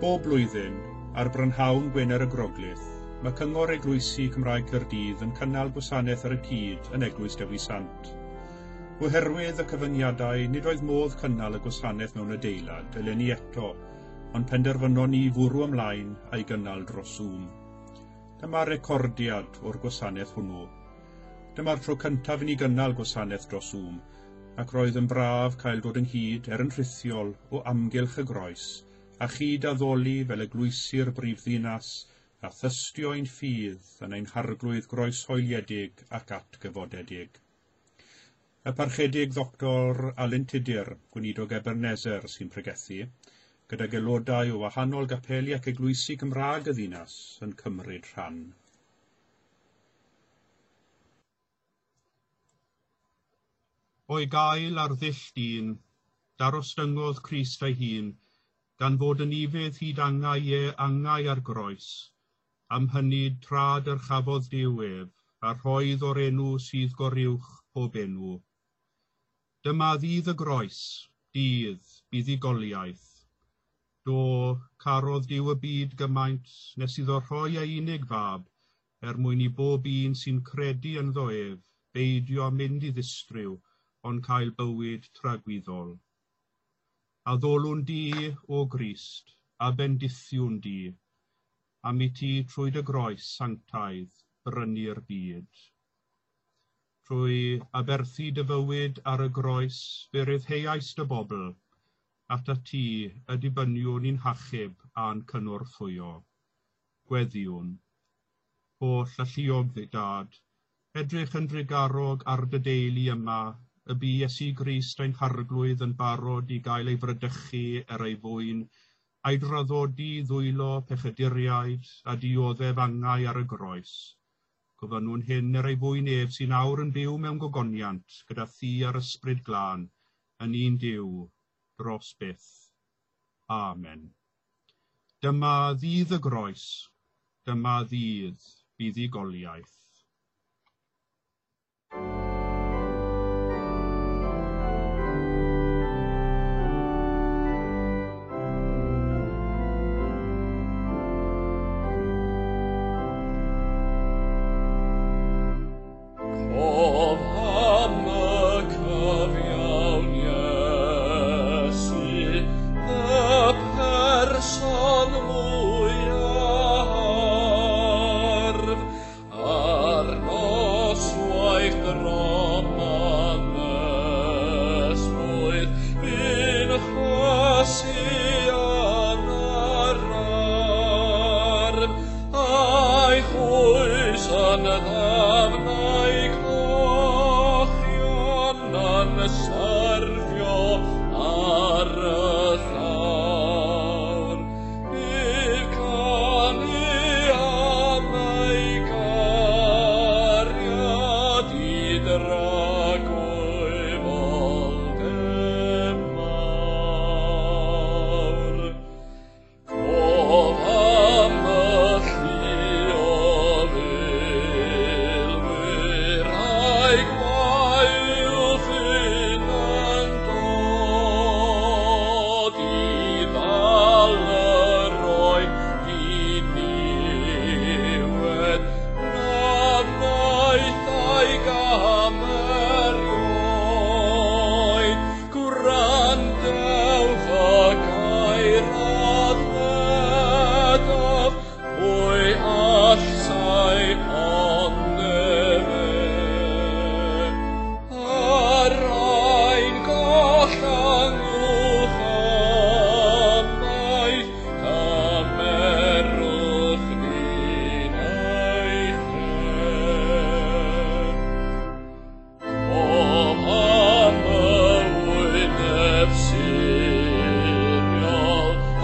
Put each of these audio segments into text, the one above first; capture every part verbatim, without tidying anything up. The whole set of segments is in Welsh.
Bob blwyddyn, ar brynhawn Gwener y Groglith, mae Cyngor Eglwysi Cymraeg Caerdydd yn cynnal gwasanaeth ar y cyd yn Eglwys Dewi Sant. Oherwydd y cyfyngiadau, nid oedd modd cynnal y gwasanaeth mewn adeilad eleni eto, ond penderfynon ni fwrw ymlaen a'i gynnal dros Zoom. Dyma recordiad o'r gwasanaeth hwnnw. Dyma'r tro cyntaf i ni gynnal gwasanaeth dros Zoom, ac roedd yn braf cael dod ynghyd er yn rhithiol o amgylch y groes, a chyd addoli fel eglwysi'r brifddinas a thystio ein ffydd yn ein harglwydd groeshoeliedig ac atgyfodedig. Y parchedig Ddoctor Alun Tudur, gweinidog Ebenezer, sy'n pregethu, gydag aelodau o wahanol gapeli ac eglwysi Cymraeg y ddinas yn cymryd rhan. O'i gael ar ddull dyn, darostyngodd Crist ei hun, gan fod yn ufudd hyd angau e angau ar groes, am hynny tra dyrchafodd Duw ef, a rhoedd o'r enw sydd goruwch pob enw. Dyma ddydd y groes, dydd buddugoliaeth. Do, carodd Duw y byd gymaint nes iddo rhoi ei unig fab, er mwyn i bob un sy'n credu ynddo ef, beidio mynd i ddistryw, ond cael bywyd tragwyddol. Addolwn di, o Grist, a bendithiwn di, am i ti trwy dy groes sanctaidd brynu'r byd. Trwy aberthu dy fywyd ar y groes, fe ryddheais dy bobl, atat ti y dibyniwn i'n hachub a'n cynorthwyo. Gweddiwn. Holl alluog ddi dad, edrych yn drugarog ar dy deulu yma, y bu Iesu Grist ein harglwydd yn barod i gael ei fradychu er ei fwyn, a'i draddodi ddwylo pechaduriaid a dioddef angau ar y groes. Gofynnwn hyn er ei fwyn ef sy'n awr yn byw mewn gogoniant gyda thi a'r ysbryd glân, yn un Duw, dros byth. Amen. Dyma ddydd y groes, dyma ddydd buddugoliaeth. Cof am y cyfiawn Iesu, y person mwyaf hardd, ar noswaith drom anesmwyth, bu'n chwasu yn yr ardd, a'i chwys yn ddafnau cochion yn syrthio ar y llawr. Bydd canu am ei gariad i dragwyddol mawr. Cof am y llu o filwyr a'i gwaelff yn dod i ddal yr oen diniwed, na wnaeth a'i gam erioed. Gwrandewch y gair a ddywedaf, pwy allsai ond efe? Ar ein goll angwch ymaith, cymerwch ni'n eich lle. Cof am y wyneb siriol, y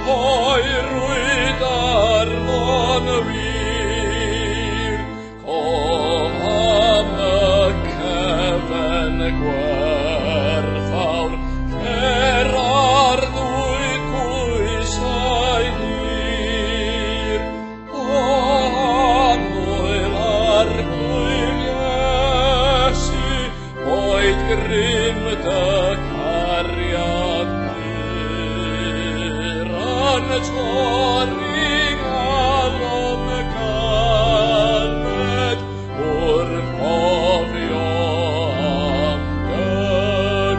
poerwyd arno'n wir. Cof am y cefen gwerthfawr, lle'r arddwyd pwysau hir. O annwyl arglwydd Iesu, boed grym dy cariad pur, a yn torri galon galed wrth gofio am gynnur.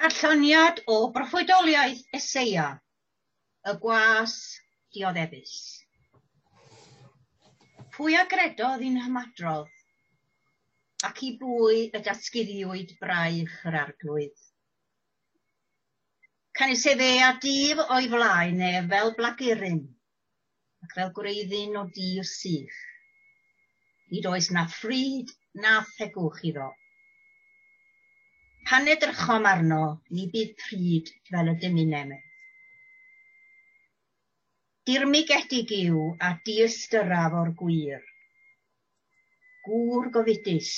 Darlleniad o broffwydoliaeth Eseia, y gwas dioddefus. Pwy a gredodd i'n hymadrodd, ac i bwy y datguddiwyd braich yr arglwydd? Canys efe a dif o'i flaen ef fel blaguryn, ac fel gwreiddyn o dir sych. Nid oes na phryd na thegwch iddo. Pan edrychom arno, ni bydd pryd fel y dymunem ef. Dirmygedig yw a diystyraf o'r gwir. Gŵr gofidus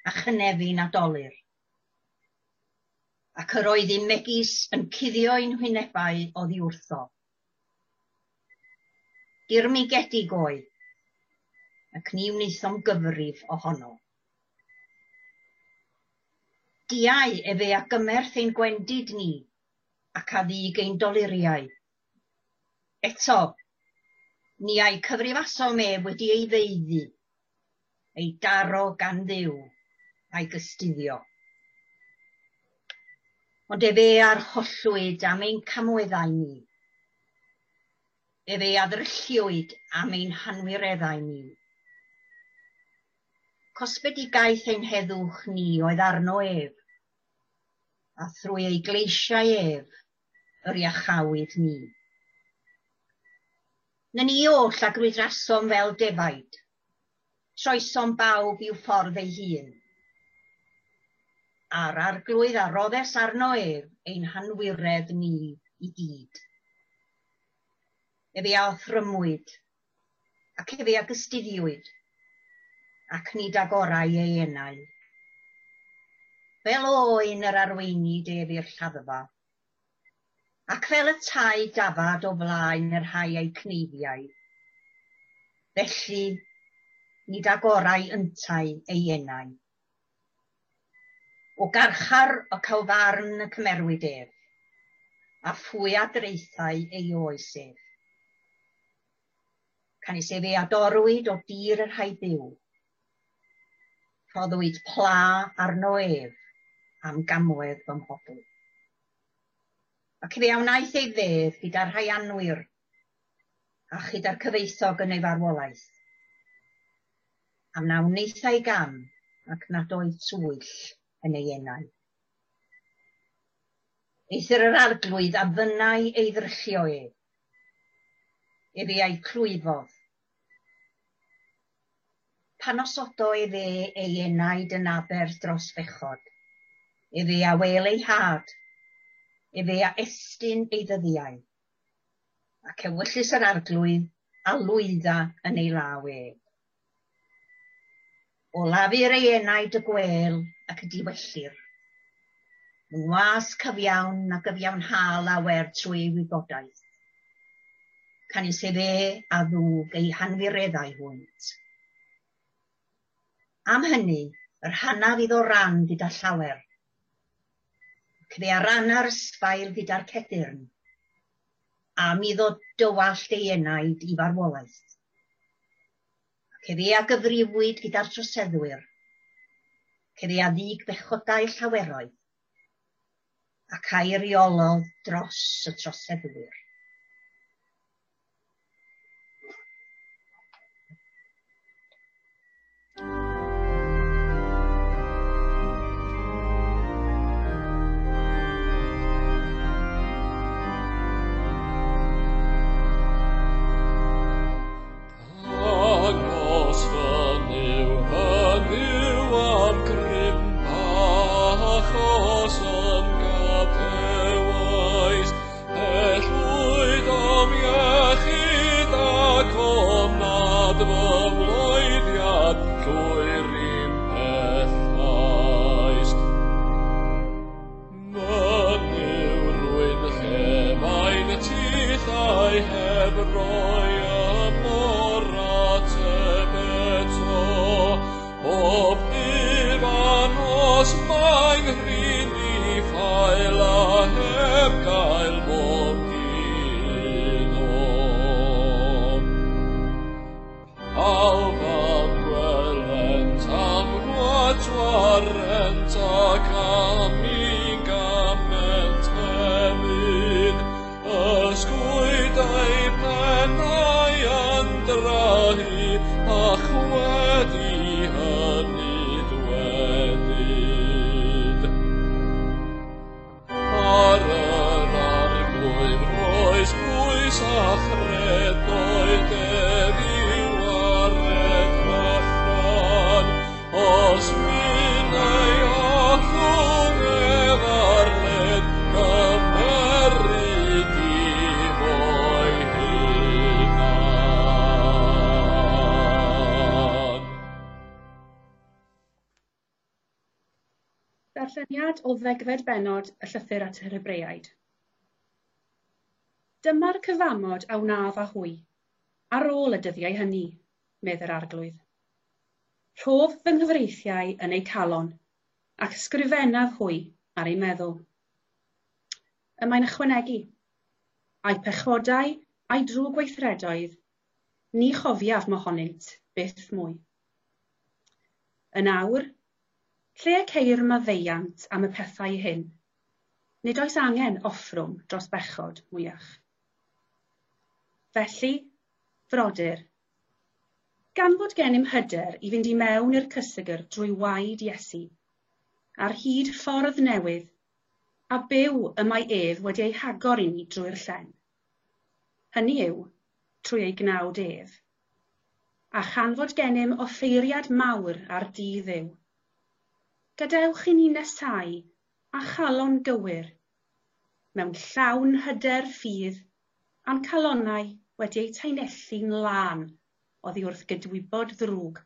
a chynefin a dolur. Ac yr oedd un megis yn cuddio ein hwynebau oddi wrtho. Dirmygedig oedd, ac ni wnaethom gyfrif ohono. Diau efe a gymerth ein gwendid ni, ac a ddug ein doluriau. Eto, ni a'i cyfrifasom ef wedi ei feiddi, ei daro gan Dduw, a'i gystuddio. Ond efe a'r hollwyd am ein camweddau ni. Efe a ddrylliwyd am ein hanwireddau ni. Cosbedigaeth ein heddwch ni oedd arno ef, a thrwy ei gleisiau ef yr iachawyd ni. Na ni oll a grwydrasom fel defaid, troesom bawb i'w ffordd ei hun. A'r arglwydd a roddes arno ef ein hanwiredd ni i gyd. Efe a othrymwyd, ac efe a gystuddiwyd, ac nid agorau ei enau. Fel oen yr arweinid ef i'r lladdfa, ac fel y tai dafad o flaen yr rhai a'i cneifiau. Felly, nid agorau yntau ei enau. O garchar o cawfarn y cymerwyd ef, a phwy a draethau ei oes ef. Canys efe a dorwyd o dir yr rhai byw. Rhoddwyd pla arno ef am gamwedd fy mhobl. Ac efe a wnaeth ei fedd gyda'r rhai anwir, a chyda'r cyfoethog yn ei farwolaeth. Am na wnaethai gam, ac nad oedd twyll yn ei enau. Eithr yr arglwydd a fynnai ei ddryllio ef. Efe a'i clwyfodd. Pan osodo efe ei enaid yn aberth dros bechod, efe a wel ei had, efe a estyn ei ddyddiau, ac ewyllys yr arglwydd a lwydda yn ei law ef. O lafur ei enaid y gwel ac y diwellir. Yng ngwas cyfiawn a gyfiawnha lawer trwy ei wybodaeth. Canys efe a ddwg ei hanfireddau hwynt. Am hynny, yr hanaf iddo ran gyda llawer, ac fe a ranna'r ysbail gyda'r cedyrn, am iddo dywallt ei enaid i farwolaeth. Ac efe a gyfrifwyd gyda'r troseddwyr, ac efe a ddug bechodau llaweroedd, ac a'i reolodd dros y troseddwyr. Dangos fy Nuw, fy Nuw am grym bach os ymgadewais, pellwyd o'm iechyd ac o'm nad fy mloeddiad llwyr i'm pellhaist. Mynyw rwy'n llefain tithau heb roi ymor ateb eto, bob dydd a nos. hi, a chwedi hynny dwedyd. Ar yr arglwydd roes bwys a chredoedd ef i wared allan, os fyn ei allwng ef ar led, cymeryd i fo'i hunan. Darlleniad o ddegfed bennod y llythyr at yr Hebreaid. Dyma'r cyfamod a wnaf â hwy, ar ôl y dyddiau hynny, medd yr arglwydd. Rhof fy nghyfreithiau yn eu calon, ac ysgrifennaf hwy ar eu meddwl. Y mae'n ychwanegu, a'i pechodau a'i drwg gweithredoedd, ni chofiaf mohonynt byth mwy. Yn awr, lle y ceir maddeuant am y pethau hyn, nid oes angen offrwm dros bechod mwyach. Felly, frodyr, gan fod gennym hyder i fynd i mewn i'r cysegr drwy waed Iesu, ar hyd ffordd newydd, a byw y mae ef wedi ei hagor i ni drwy'r llen. Hynny yw, trwy ei gnawd ef. A chan fod gennym offeiriad mawr ar dydd Dduw. Gadewch i ni nesau a chalon gywir, mewn llawn hyder ffydd, a'n calonnau wedi eu taenellu'n lân oddi wrth gydwybod ddrwg,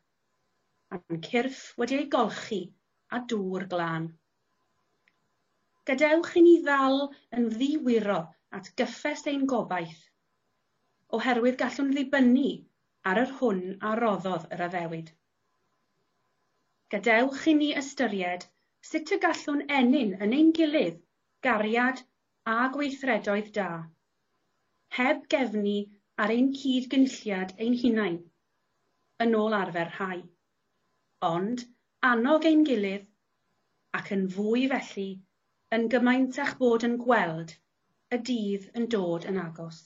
a'n cyrff wedi eu golchi â dŵr glân. Gadewch i ni ddal yn ddiwyro at gyffes ein gobaith, oherwydd gallwn ddibynnu ar yr hwn a roddodd yr addewid. Gadewch i ni ystyried sut y gallwn ennyn yn ein gilydd gariad a gweithredoedd da, heb gefnu ar ein cyd-gynulliad ein hunain, yn ôl arfer rhai, ond annog ein gilydd, ac yn fwy felly, yn gymaint â'ch bod yn gweld y dydd yn dod yn agos.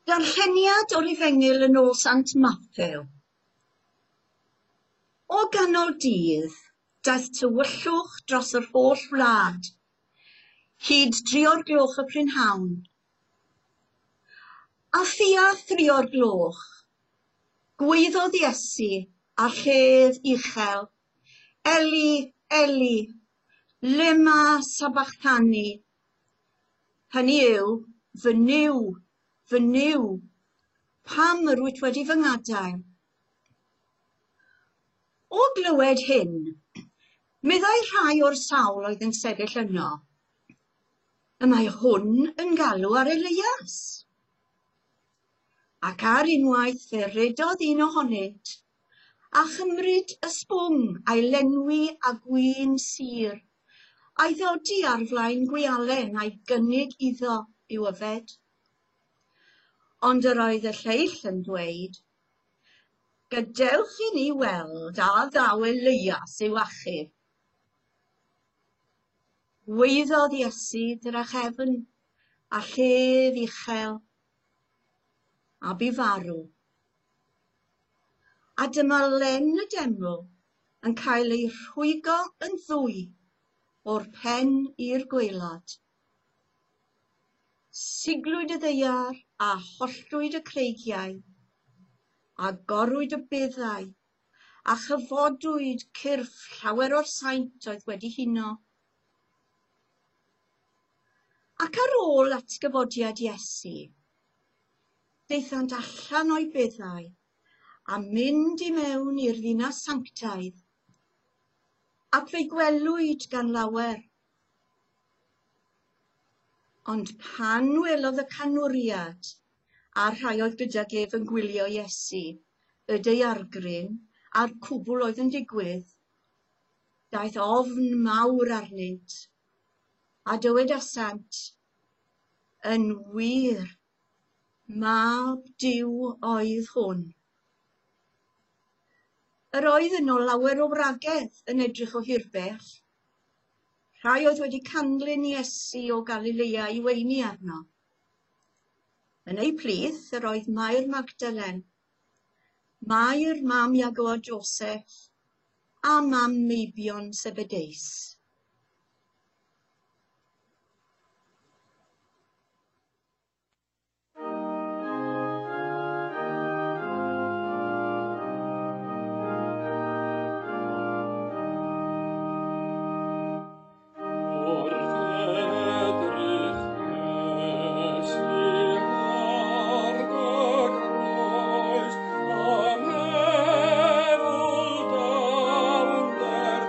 Darlleniad o'r Efengyl yn ôl Sant Mathew. O ganol dydd, daeth tywyllwch dros yr holl wlad, hyd dri o'r gloch y prynhawn. A thua thri o'r gloch, gwaeddodd Iesu â llef uchel, Eli, Eli, lema sabachthani? Hynny yw, fy Nuw, fy Nuw, pam yr wyt wedi fy ngadael? O glywed hyn, meddai rhai o'r sawl oedd yn sefyll yno, y mae hwn yn galw ar Elias. Ac ar unwaith fe redodd un ohonynt, a chymryd y sbwng a'i lenwi â gwin sur, a'i ddodi ar flaen gwialen a'i gynnig iddo i'w yfed. Ond yr oedd y lleill yn dweud, gadewch i ni weld a ddaw Elias i'w achub. Gwaeddodd Iesu drachefn a llef uchel, a bu farw. A dyma len y deml yn cael ei rhwygo yn ddwy o'r pen i'r gwaelod. Siglwyd y ddaear a holltwyd y creigiau, a gorwyd y beddau, a chyfodwyd cyrff llawer o'r saint oedd wedi huno. Ac ar ôl atgyfodiad Iesu, daethant allan o'i beddau a mynd i mewn i'r ddinas sanctaidd, ac fe'i gwelwyd gan lawer. Ond pan welodd y canwriad a'r rhai oedd gydag ef yn gwylio Iesu, y daeargryn a'r cwbl oedd yn digwydd, daeth ofn mawr arnynt, a dywedasant, yn wir, mab Duw oedd hwn. Yr oedd yno lawer o wragedd yn edrych o hirbell. Rhai oedd wedi canlyn Iesu o Galilea i weini arno. Yn eu plith yr oedd Mair Magdalen, Mair mam Iago a Joseph, a mam meibion Zebedeus. Wrth edrych Iesu ar y groes, a meddwl dawnder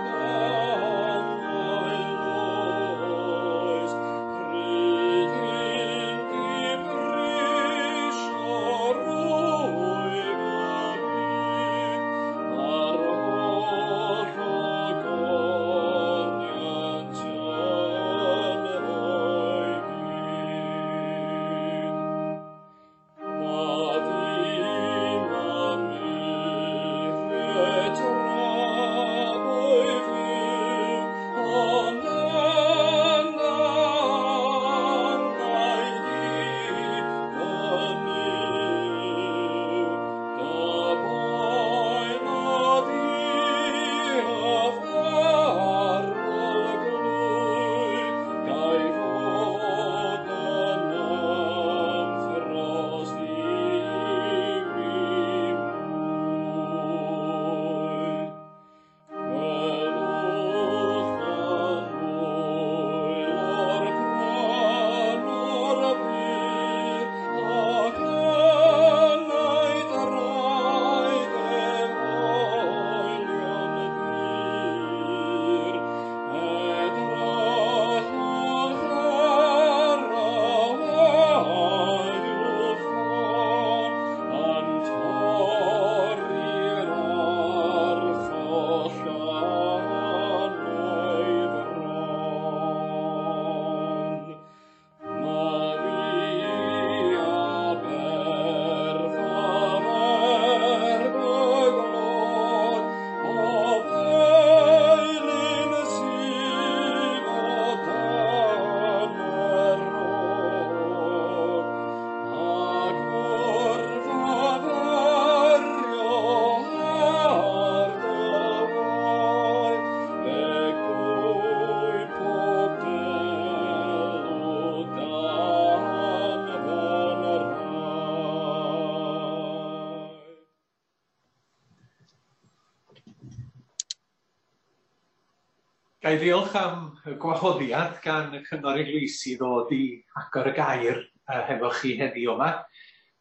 Ga i ddiolch am y gwahoddiad gan y Cyngor Eglwysi ddod i agor y gair uh, hefo chi heddiw yma.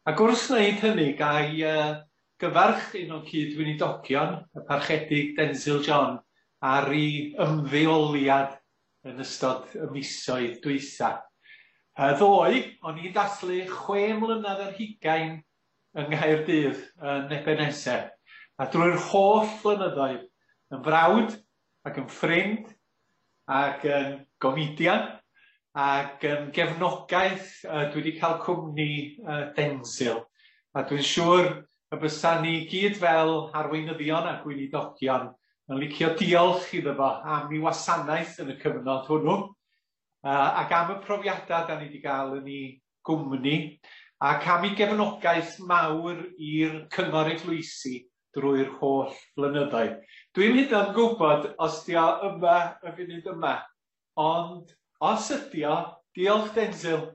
Ac wrth wneud hynny, ga i uh, gyfarch un o'n cyd-weinidogion, y Parchedig Denzil John, ar ei ymddeoliad yn ystod y misoedd dwytha. Uh, ddoe, o'n i'n dathlu chwe mlynedd ar hugain yng Nghaerdydd yn Ebenezer. A drwy'r holl flynyddoedd, yn frawd ac yn ffrind, ac yn gomedian, ac yn gefnogaeth, uh, dwi wedi cael cwmni uh, Denzil. A dwi'n siŵr y bysa ni gyd fel arweinyddion a gweinidogion yn licio diolch iddo fo am ei wasanaeth yn y cyfnod hwnnw, uh, ac am y profiadau da ni wedi gael yn ei gwmni, ac am ei gefnogaeth mawr i'r Cyngor Eglwysi drwy'r holl flynyddoedd. Dwi'm hyd yn oed yn gwybod os di o yma y funud yma, ond os ydi o, diolch Denzil.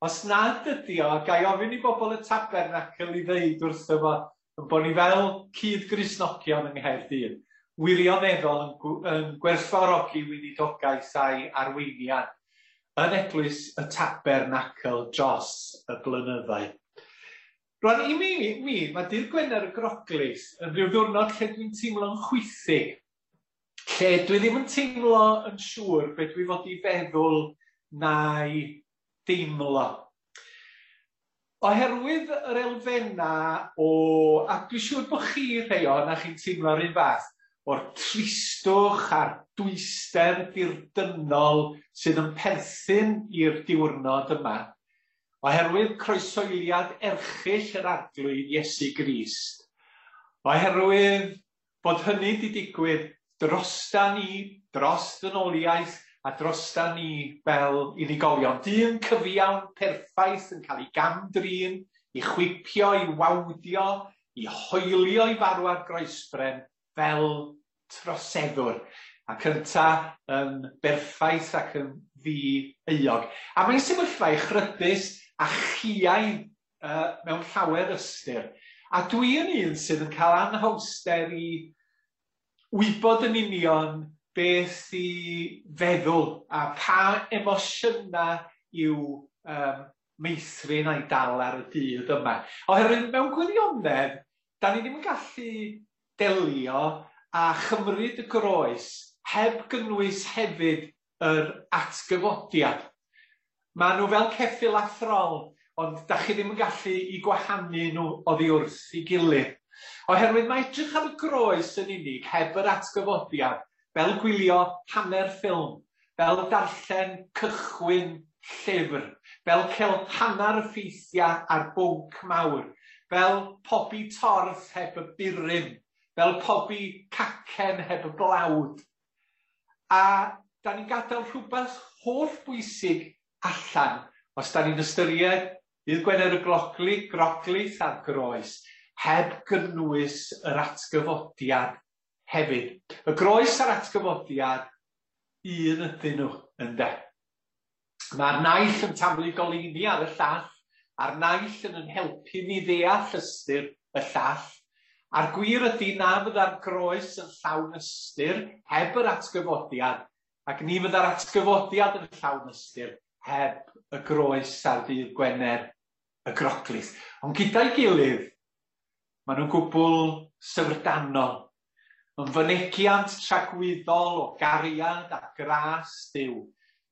Os nad ydi o, ga i ofyn i bobl y Tabernacl i ddeud wrtho fo yn bod ni fel cyd-Gristnogion yng Nghaerdydd, wirioneddol yn, yn gwerthfawrogi weinidogaeth a'i arweiniad yn eglwys y Tabernacl dros y blynyddoedd. Rwan, i mi, mi, mae dydd Gwener y Groglith yn rhyw ddiwrnod lle dwi'n teimlo'n chwithig, lle dwi ddim yn teimlo yn siŵr beth dwi fod i feddwl na'i deimlo. Oherwydd yr elfennau o, a dwi'n siŵr bod chi rhai o, na chi'n teimlo'r un fath, o'r tristwch a'r dwyster dirdynnol sydd yn perthyn i'r diwrnod yma, oherwydd croesoeliad erchyll yr Arglwydd Iesu Grist, oherwydd bod hynny wedi digwydd drosta ni, dros ddynoliaeth a drosta ni fel unigolion. Dyn cyfiawn perffaith yn cael ei gam-drin, i chwipio, i wawdio, i hoelio i farw ar groesbren fel troseddwr. A cynta yn berffaith ac yn ddi-euog. A mae'n sefyllfa echrydus a chiaidd uh, mewn llawer ystyr. A dwi yn un sydd yn cael anhawster i wybod yn union beth i feddwl a pa emosiynau i'w um, meithrin a'i dal ar y dydd yma. Oherwydd mewn gwirionedd, da ni ddim yn gallu delio a chymryd y groes heb gynnwys hefyd yr atgyfodiad. Maen nhw fel ceffyl a throl, ond da chi ddim yn gallu i gwahanu nhw oddi wrth i gilydd. Oherwydd mae edrych ar y groes yn unig heb yr atgyfodiad, fel gwylio hanner ffilm, fel darllen cychwyn llyfr, fel cael hanner y ffeithiau ar bwnc mawr, fel pobi torth heb y burum, fel pobi cacen heb y blawd. A da ni'n gadael rhywbeth holl bwysig allan, os da ni'n ystyried dydd Gwener y Grogli, Groglith a'r groes, heb gynnwys yr atgyfodiad hefyd. Y groes a'r atgyfodiad, un ydyn nhw, ynde. Mae'r naill yn taflu goleuni ar y llall, a'r naill yn yn helpu ni ddeall ystyr y llall. A'r gwir ydy na fydda'r groes yn llawn ystyr heb yr atgyfodiad, ac ni fydda'r atgyfodiad yn llawn ystyr heb y groes ar ddydd Gwener y Groglith. Ond gyda'i gilydd, maen nhw'n gwbl syfrdanol. Yn fynegiant tragwyddol o gariad a gras Duw,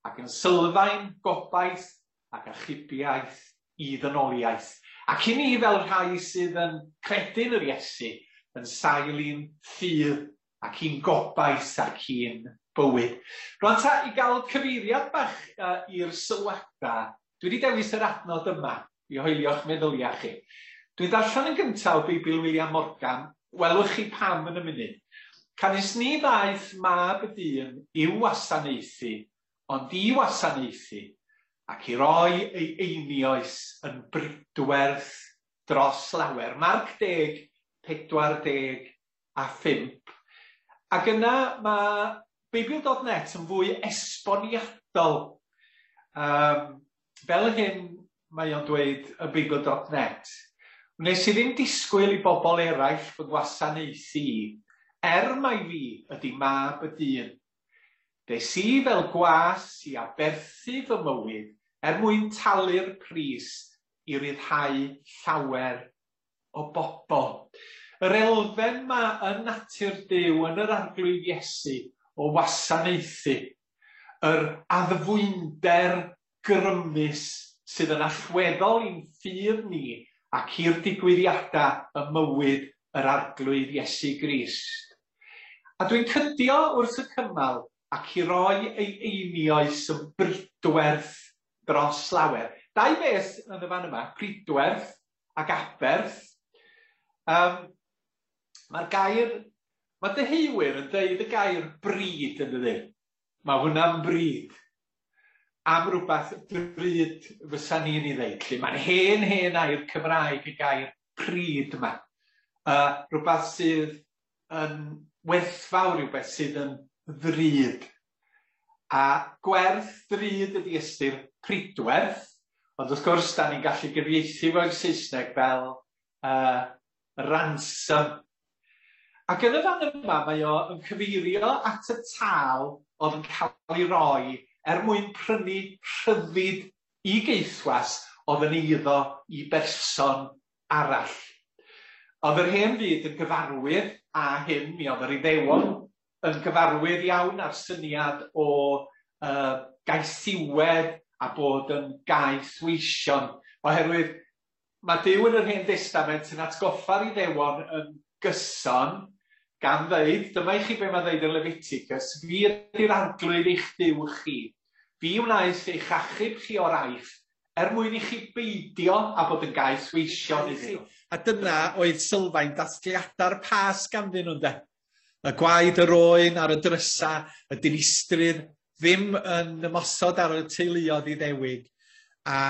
ac yn sylfaen gobaith ac achubiaeth i ddynoliaeth. Ac i ni fel rhai sydd yn credu'n yr Iesu, yn sail i'n ffydd ac i'n gobaith ac i'n bywyd. Rwan ta, i gael cyfeiriad bach uh, i'r sylwadau, dwi wedi dewis yr adnod yma i hoelio'ch meddyliau chi. Dwi'n darllen yn gyntaf o Beibl William Morgan, welwch chi pam yn y munud. Canys ni ddaeth mab y dyn i'w wasanaethu, ond i wasanaethu, ac i roi ei einioes yn bridwerth dros lawer. Marc deg, pedwar deg a phump. Ac yna mae Beibl dot net yn fwy esboniadol. Um, fel hyn mae o'n dweud y Beibl dot net. Wnes i ddim disgwyl i bobl eraill fy gwasanaethu i, er mai fi ydy mab y dyn. Des i fel gwas i aberthu fy mywyd er mwyn talu'r pris i ryddhau llawer o bobl. Yr elfen ma yn natur Duw yn yr Arglwydd Iesu o wasanaethu, yr addfwynder grymus sydd yn allweddol i'n ffydd ni ac i'r digwyddiadau ym mywyd yr Arglwydd Iesu Grist. A dwi'n cydio wrth y cymal ac i roi ei einioes yn bridwerth dros lawer. Dau beth yn y fan yma, pridwerth ac aberth. Um, Mae'r gair, mae deheuwyr yn deud y gair bryd yn dydy. Mae hwnna'n bryd. Am rhywbeth drud fysa ni'n ei ddeud. Lle mae'n hen hen air Cymraeg y gair pryd yma. Uh, rhywbeth sydd yn werthfawr, rhywbeth sydd yn ddrud. A gwerth drud ydy ystyr pridwerth, ond wrth gwrs da ni'n gallu gyfieithu fo'r Saesneg fel uh, ransom. Ac yn y fan yma mae o yn cyfeirio at y tâl oedd yn cael ei roi er mwyn prynu rhyddid i geithwas oedd yn eiddo i berson arall. Oedd yr hen fyd yn gyfarwydd â hyn, mi oedd yr Iddewon yn gyfarwydd iawn â'r syniad o uh, gaethiwed a bod yn gaethweision, oherwydd mae Duw yn yr Hen Destament yn atgoffa'r Iddewon yn gyson gan ddeud, dyma i chi be mae'n ddeud yn Leviticus, fi ydy'r Arglwydd eich Duw chi, fi wnaeth eich achub chi o'r Aifft, er mwyn i chi beidio a bod yn gaethweision iddyn nhw. A dyna oedd sylfaen dathliadau'r Pasg ganddyn nhw, ynde? Y gwaed yr oen ar y drysa, y dinistrydd ddim yn ymosod ar y teuluoedd Iddewig, a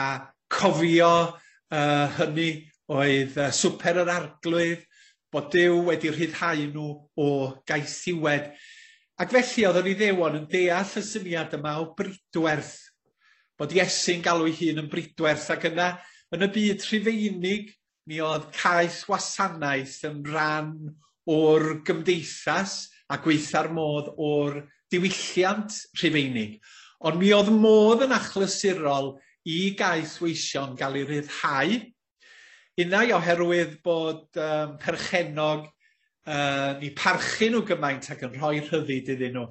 cofio uh, hynny oedd uh, swper yr Arglwydd, bod Duw wedi rhyddhau nhw o gaethiwed. Ac felly oedd yr Iddewon yn deall y syniad yma o bridwerth, bod Iesu'n galw ei hun yn bridwerth, ac yna yn y byd Rhufeinig mi oedd caeth wasanaeth yn rhan o'r gymdeithas a gweitha'r modd o'r diwylliant Rhufeinig. Ond mi oedd modd yn achlysurol i gaethweision gael ei ryddhau, unai oherwydd bod um, perchennog uh, ni parchu nhw gymaint ac yn rhoi rhyddid iddyn nhw,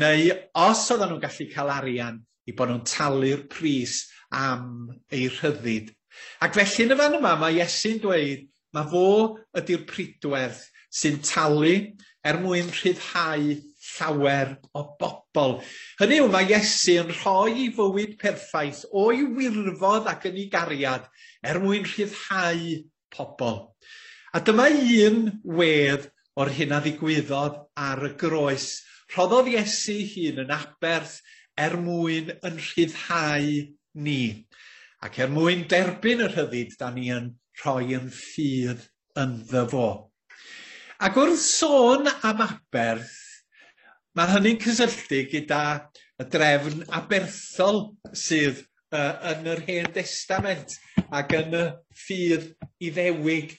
neu os oedden nhw'n gallu cael arian, i bod nhw'n talu'r pris am eu rhyddid. Ac felly yn y fan yma mae Iesu'n dweud, mae fo ydy'r pridwerth sy'n talu er mwyn rhyddhau llawer o bobl. Hynny yw, mae Iesu yn rhoi ei fywyd perffaith o'i wirfodd ac yn ei gariad er mwyn rhyddhau pobl. A dyma un wedd o'r hyn a ddigwyddodd ar y groes. Rhoddodd Iesu hun yn aberth er mwyn yn rhyddhau ni. Ac er mwyn derbyn y rhyddid, da ni yn rhoi yn ffydd ynddo fo. Ac wrth sôn am aberth, mae hynny'n cysylltu gyda y drefn aberthol sydd uh, yn yr Hen Destament ac yn y ffydd Iddewig.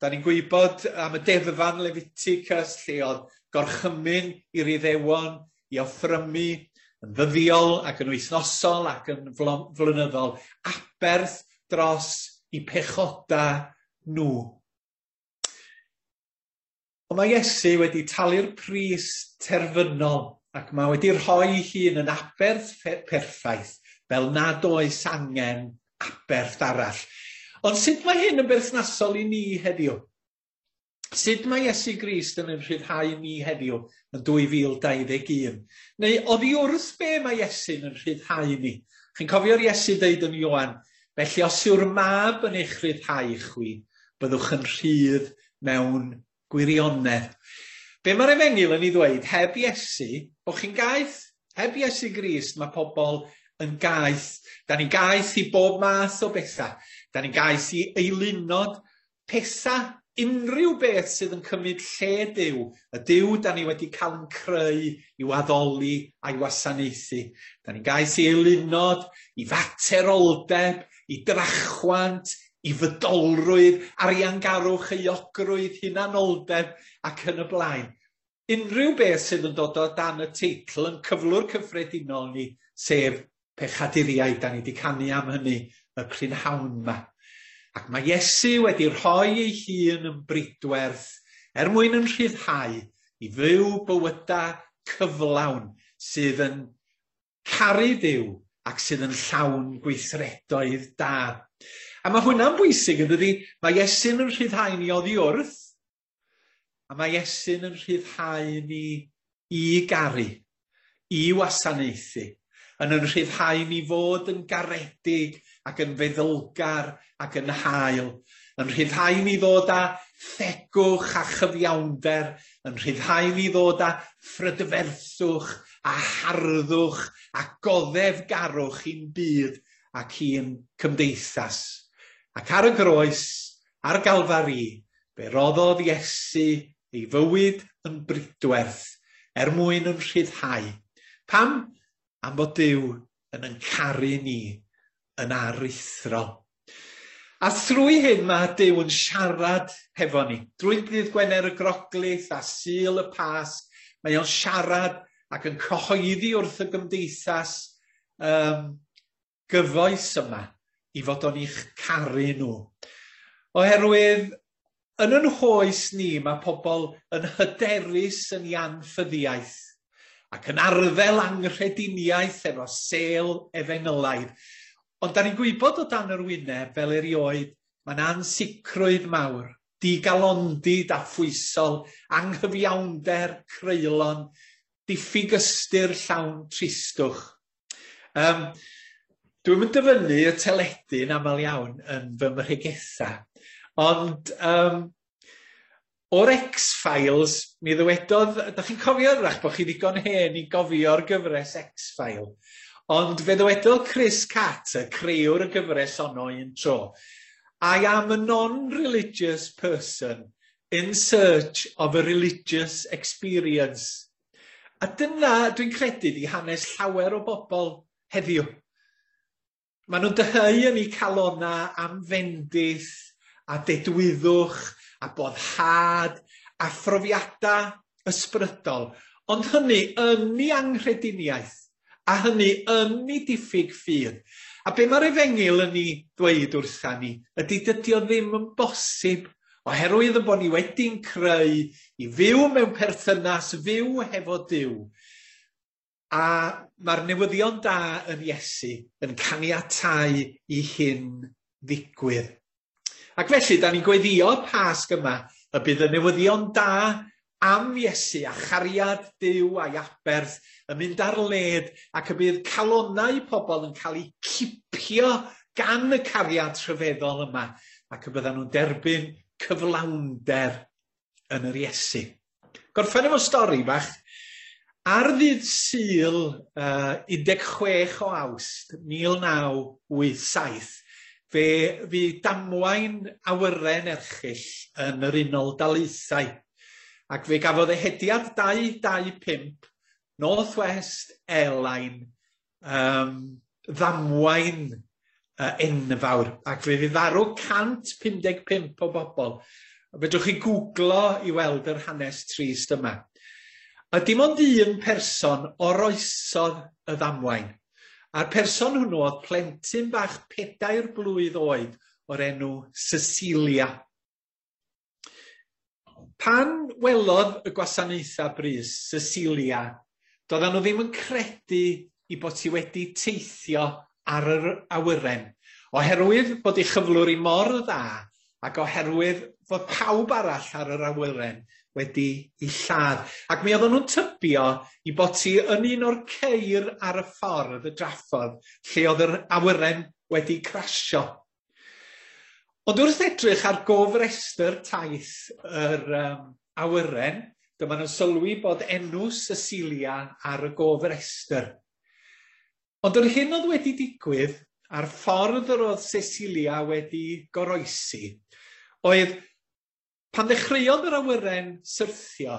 Da ni'n gwybod am y deddfan Leviticus, lle oedd gorchymyn i'r Iddewon i offrymu yn ddyddiol ac yn wythnosol ac yn flynyddol, aberth dros i pechoda nhw. Ond mae Iesu wedi talu'r pris terfynol ac mae wedi rhoi hun yn aberth perffaith fel nad oes angen aberth arall. Ond sut mae hyn yn berthnasol i ni heddiw? Sut mae Iesu Grist yn ein rhyddhau ni heddiw yn dwy fil dau ddeg un? Neu oddi wrth be mae Iesu'n yn rhyddhau ni? Chi'n cofio'r Iesu dweud yn Ioan, felly os yw'r mab yn eich rhyddhau chwi, byddwch yn rhydd mewn gwirionedd. Be mae'r Efengyl yn ei ddweud, heb Iesu, bod chi'n gaeth. Heb Iesu Grist, mae pobl yn gaeth. Da ni'n gaeth i bob math o bethau. Da ni'n gaeth i eilunod, pethau, unrhyw beth sydd yn cymryd lle Duw, y Duw da ni wedi cael yn creu i'w addoli a'i wasanaethu. Da ni'n gaeth i eilunod, i fateroldeb, i drachwant, i fydolrwydd, ariangarwch, euogrwydd, hunanoldeb ac yn y blaen. Unrhyw beth sydd yn dod o dan y teitl yn cyflwr cyffredinol ni, sef pechaduriaid. Da ni wedi canu am hynny y prynhawn yma. Ac mae Iesu wedi rhoi ei hun yn bridwerth er mwyn yn rhyddhau i fyw bywydau cyflawn sydd yn caru Duw ac sydd yn llawn gweithredoedd da. A mae hwnna'n bwysig yn dydi? Mae Iesu'n yn rhyddhau ni oddi wrth, a mae Iesu'n yn rhyddhau ni i garu, i wasanaethu, yn yn rhyddhau ni fod yn garedig ac yn feddylgar ac yn hael, yn rhyddhau ni ddod â thegwch a chyfiawnder, yn rhyddhau ni ddod â phrydferthwch a harddwch a goddefgarwch i'n byd ac i'n cymdeithas. Ac ar y groes, ar Galfari, fe roddodd Iesu ei fywyd yn bridwerth er mwyn yn rhyddhau. Pam? Am fod Duw yn yn caru ni yn aruthrol. A thrwy hyn mae Duw yn siarad hefo ni. Drwy dydd Gwener y Groglith a Sul y Pasg, mae o'n siarad ac yn cyhoeddi wrth y gymdeithas um, gyfoes yma i fod o'n i'ch caru nhw. Oherwydd yn yn hoes ni mae pobl yn hyderus yn ei anffyddiaeth ac yn arddel anghrediniaeth efo sêl efengylaidd. Ond da ni'n gwybod o dan yr wyneb fel erioed, mae'n ansicrwydd mawr, digalondid a phwysol, anghyfiawnder creulon, diffyg ystyr llawn tristwch. Um, Dwi'm yn dyfynnu y teledu'n aml iawn yn fy mhregetha, ond um, o'r X-Files, mi ddywedodd, da chi'n cofio wrach bod chi ddigon hen i gofio'r gyfres X-File, ond fe ddywedodd Chris Carter, crëwr y gyfres honno un tro, "I am a non-religious person in search of a religious experience." A dyna, dwi'n credu, di hanes llawer o bobl heddiw. Maen nhw'n dyheu yn eu calona am fendith a dedwyddwch a boddhad a phrofiadau ysbrydol, ond hynny yn ei anghrediniaeth a hynny yn ei diffyg ffydd. A be mae'r efengyl yn ei ddweud wrtha ni ydy dydy o ddim yn bosib oherwydd y bod ni wedi'n creu i fyw mewn perthynas fyw hefo Duw. A mae'r newyddion da yn Iesu yn caniatáu i hyn ddigwydd. Ac felly, da ni'n gweddio Pasg yma y bydd y newyddion da am Iesu a chariad Duw a'i aberth yn mynd ar led ac y bydd calonnau pobl yn cael eu cipio gan y cariad rhyfeddol yma ac y byddan nhw'n derbyn cyflawnder yn yr Iesu. Gorffen efo stori bach. Ar ddydd Sul uh, un deg chwech o Awst mil naw wyth saith, fe fu damwain awyren erchyll yn yr Unol Daleithiau, ac fe gafodd ehediad dau dau pump North West Airline um, ddamwain uh, enfawr, ac fe fu farw cant pum deg pump o bobl. Fedrwch chi googlo i weld yr hanes trist yma. A dim ond un person oroesodd y ddamwain. A'r person hwnnw oedd plentyn bach pedair blwydd oed o'r enw Cecilia. Pan welodd y gwasanaethau brys Cecilia, doedden nhw ddim yn credu i bod hi wedi teithio ar yr awyren, oherwydd bod ei chyflwr hi mor dda ac oherwydd fod pawb arall ar yr awyren wedi ei lladd. Ac mi oedden nhw'n tybio i bod hi yn un o'r ceir ar y ffordd, y draffordd, lle oedd yr awyren wedi crasio. Ond wrth edrych ar gofrestr taith yr um, awyren, dyma nhw'n sylwi bod enw Cecilia ar y gofrestr. Ond yr hyn oedd wedi digwydd a'r ffordd yr oedd Cecilia wedi goroesi oedd pan ddechreuodd yr awyren syrthio,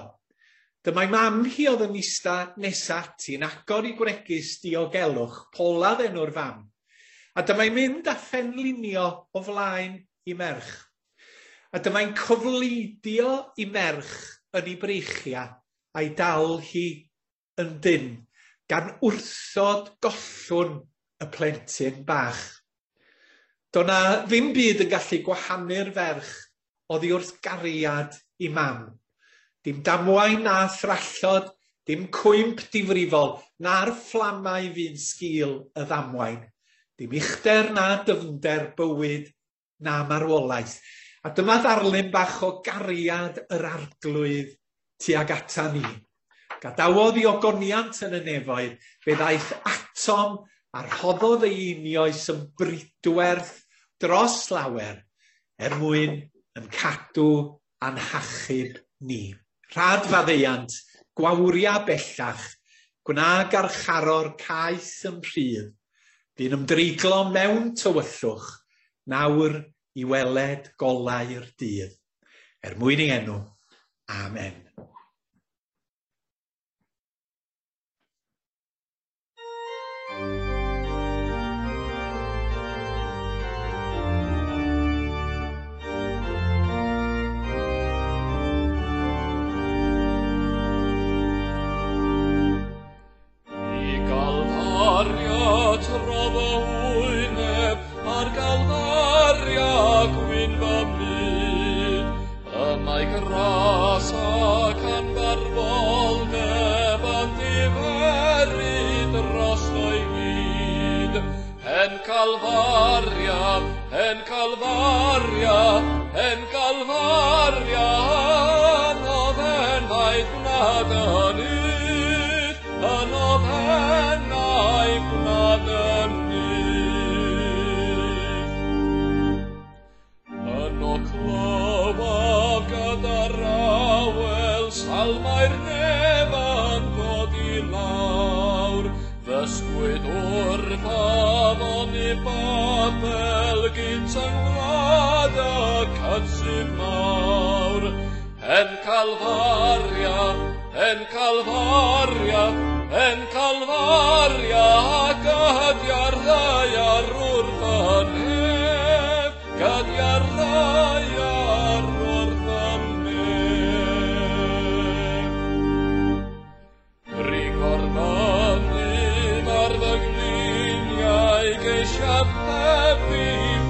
dyma'i mam hi oedd yn ista nesa ati yn agor i gwregys diogelwch, Paula enw'r fam, a dyma'i mynd a phenlinio o flaen i merch. A dyma'i'n cofleidio i merch yn ei breichiau a'i dal hi yn dynn, gan wrthod gollwn y plentyn bach. Do na ddim byd yn gallu gwahanu'r ferch oddi wrth gariad i mam. Dim damwain na thrallod, dim cwymp difrifol, na'r fflamau fu'n sgil y ddamwain. Dim uchder na dyfnder bywyd na marwolaeth. A dyma ddarlun bach o gariad yr Arglwydd tuag ata ni. Gadawodd i ogoniant yn y nefoedd, fe ddaeth atom a rhoddodd ei einioes yn bridwerth dros lawer er mwyn yn cadw a'n hachub ni. Rhad faddeuant, gwawria bellach, gwna garcharor caeth yn rhydd, bu'n ymdreiglo mewn tywyllwch, nawr i weled golau'r dydd. Er mwyn ei enw, amen. I Galfaria trof y wyneb, ar Galfaria gwyn fy myd. Y mae gras ac anfarwoldeb yn diferu drosto'i hyd. Hen Calfaria, hen Calfaria, hen Calfaria, anodd enwaith gwna dy nyth, anodd enwaith gwna dy nyth. Yno clywaf gyda'r awel salmau'r nef yn dod i lawr. Ddysgwyd wrth afon i Babel gynt yng ngwlad y cydsydd mawr. Hen Calfaria, hen Calfaria, hen Calfaria, gydia'r ddaear wrth y nef, gydia'r ddaear wrth y nef. Rigor mynydd ar fy ngliniau geisiaf heb i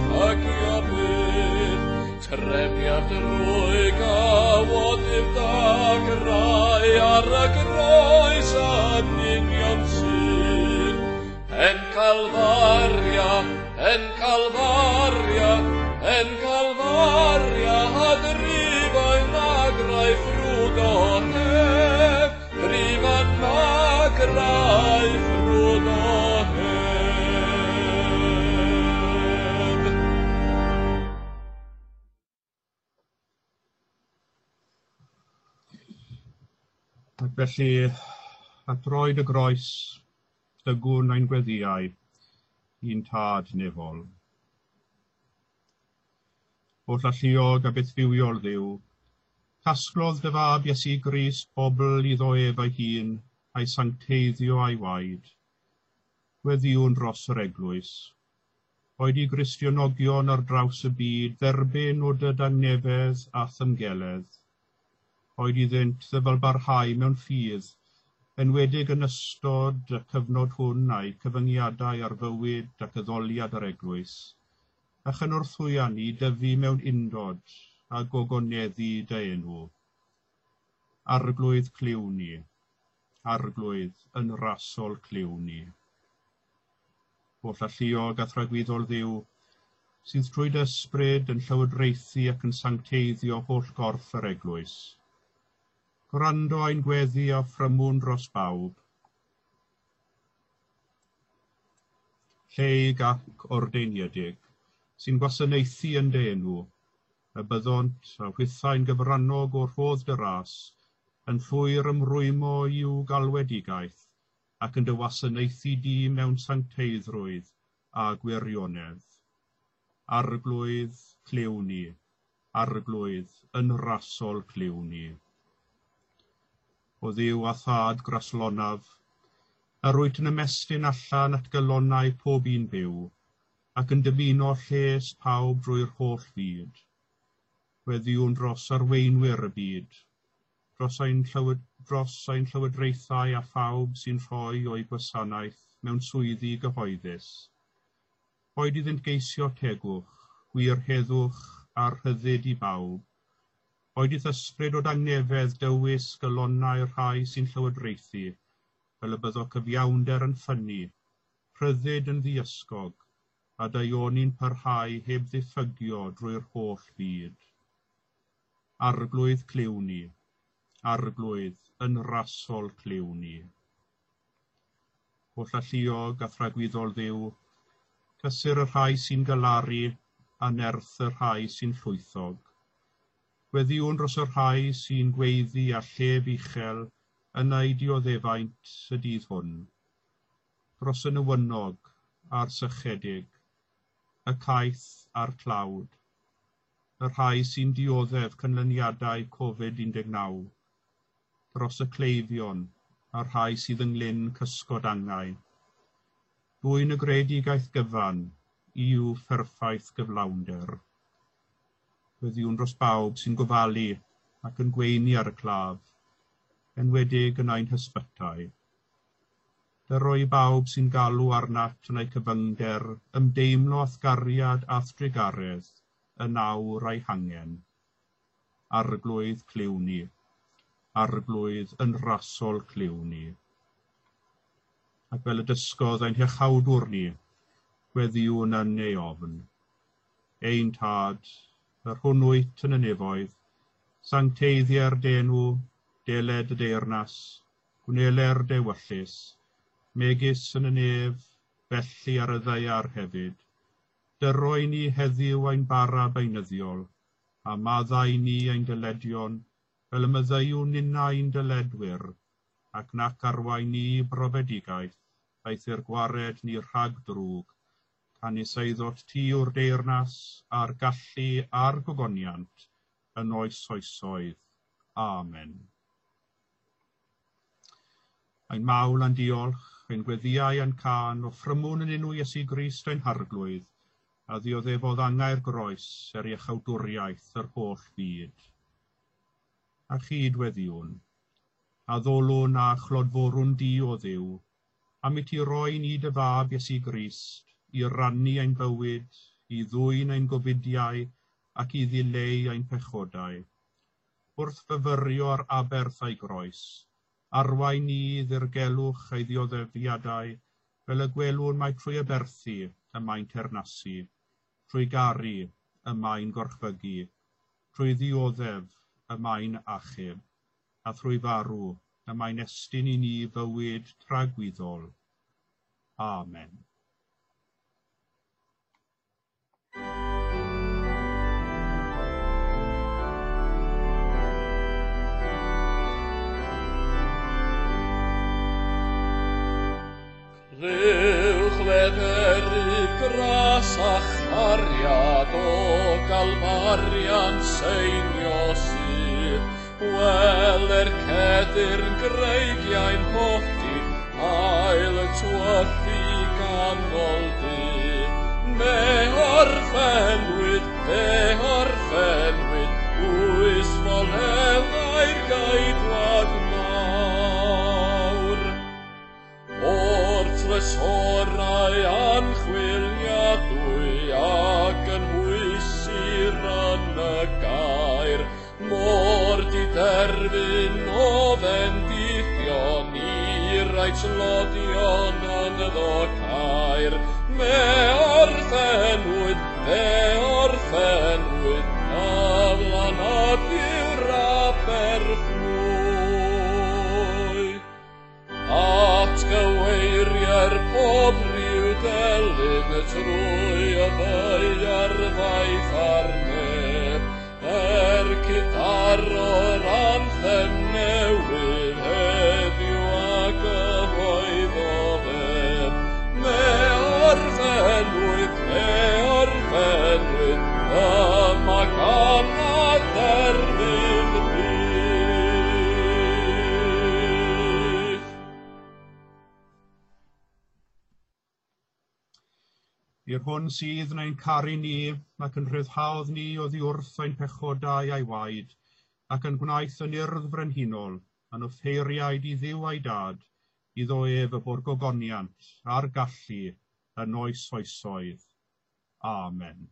ffagio byth, trefniaf drwy gawod i'r dagrau ar y groes yn union sydd. Hen Calfaria, hen Calfaria, hen Calfaria, a drifa'n nagrau ffrwd o nef, drifa'n nagrau ffrwd o nef. Ac felly, at droed y groes, dygwn ein gweddïau i'n tad nefol. Holl alluog a bythfywiol Dduw, casglodd dy fab Iesu Grist bobl iddo ef ei hun, a'i sancteiddio a'i waed. Gweddïwn dros yr eglwys. Oed i Gristionogion ar draws y byd dderbyn o dy dangnefedd a thymgeledd. Oed iddynt ddyfalbarhau mewn ffydd, enwedig yn ystod y cyfnod hwn a'i cyfyngiadau ar fywyd ac addoliad yr eglwys, a chynorthwya ni dyfu mewn undod a gogoneddu dy enw. Arglwydd clyw ni, Arglwydd yn rasol clyw ni. Holl alluog a thragwyddol Dduw, sydd trwy dy ysbryd yn llywodraethu ac yn sancteiddio holl gorff yr eglwys. Gwrando ein gweddi a ffrymwn dros bawb. Lleig ac ordeiniedig, sy'n gwasanaethu yn dy enw, y byddont a hwythau'n gyfrannog o'r rhodd dy ras, yn llwyr ymrwymo i'w galwedigaeth, ac yn dy wasanaethu di mewn sancteiddrwydd a gwirionedd. Arglwydd, clyw ni. Arglwydd, yn rasol clyw ni. O Dduw a Thad graslonaf, yr wyt yn ymestyn allan at galonnau pob un byw, ac yn dymuno lles pawb drwy'r holl fyd. Gweddïwn dros arweinwyr y byd, dros ein, llywod, dros ein llywodraethau a phawb sy'n rhoi o'u gwasanaeth mewn swyddi gyhoeddus. Boed iddynt geisio tegwch, gwir heddwch a rhyddid i bawb. Boed i'th ysbryd o dangnefedd dywys galonnau'r rhai sy'n llywodraethu, fel y byddo cyfiawnder yn ffynnu, rhyddid yn ddiysgog, a daioni'n parhau heb ddiffygio drwy'r holl fyd. Arglwydd clyw ni, Arglwydd yn rasol clyw ni. Holl alluog a thragwyddol Dduw, cysur y rhai sy'n galaru a nerth y rhai sy'n llwythog. Gweddïwn dros y rhai sy'n gweiddi a llef uchel yn eu dioddefaint y dydd hwn. Dros y newynog a'r sychedig, y caeth a'r tlawd, y rhai sy'n dioddef canlyniadau Covid un deg naw, dros y cleifion a'r rhai sydd ynglyn cysgod angau. Dwyn y greadigaeth gyfan i'w pherffaith gyflawnder. Gweddïwn dros bawb sy'n gofalu ac yn gweini ar y claf, enwedig yn ein hysbytai. Dyro i bawb sy'n galw arnat yn eu cyfyngder, ymdeimlo a'th gariad a'th drugaredd, yn awr a'i hangen. Arglwydd clyw ni, Arglwydd yn rasol clyw ni. Ac fel y dysgodd ein hiachawdwr ni, gweddïwn yn ei ofn. Ein Tad, yr hwn wyt yn y nefoedd, sancteiddier dy enw, deled y deyrnas, gwneler dy ewyllys, megis yn y nef, felly ar y ddaear hefyd. Dyro i ni heddiw ein bara beunyddiol, a maddau ni ein dyledion, fel y maddeuwn ninnau'n dyledwyr, ac nac arwain ni brofedigaeth, aeth i'r gwared ni rhag drwg, canys eiddot ti yw'r deyrnas, a'r gallu a'r gogoniant, yn oes oesoedd. Amen. Ein mawl a'n diolch, ein gweddïau a'n cân, offrymwn yn enw Iesu Grist ein Harglwydd, a ddioddefodd angau'r groes er iachawdwriaeth yr holl fyd. A chyd weddiwn, a ddolwn a chlodforwn di o Dduw, am i ti roi ni dy fab Iesu Grist, i rannu ein bywyd, i ddwyn ein gofidiau ac i ddileu ein pechodau. Wrth fyfyrio ar aberth a'i groes, arwain ni ddirgelwch ei ddioddefiadau, fel y gwelwn mai trwy aberthu y mae'n teyrnasu, trwy garu y mae'n gorchfygu, trwy ddioddef y mae'n achub, a thrwy farw y mae'n estyn i ni fywyd tragwyddol. Amen. Clywch leferydd gras a chariad o Galfarian seinio sydd, Weler cedyrn greigiau'n hollti, ail y twyllu ganol dydd. Me orffenwyd, fe orffenwyd, oes folewau'r geidwad mawr. O'r trysorau anchwiliadwy ac yn hwysir yn y gair, mor diderfyn o fendithion i rai tlodion ynddo cair. Me orffenwyd, fe orffenwyd, aflanad yw'r aberth mwy. Atgyweirier pob rhyw delyn trwy y ddaear ddaeth ar neb, er cydaro'r anthem newydd heddiw a gyhoeddodd ef. Me orffenwyd, me orffenwyd, yma gan a dderfydd byth. I'r hwn sydd yn ein caru ni, ac yn rhyddhaodd ni oddi wrth ein pechodau a'i waed, ac yn gwnaeth yn urdd frenhinol, yn offeiriaid i Dduw a'i Dad, iddo ef y bo'r gogoniant a'r gallu yn oes oesoedd. Amen.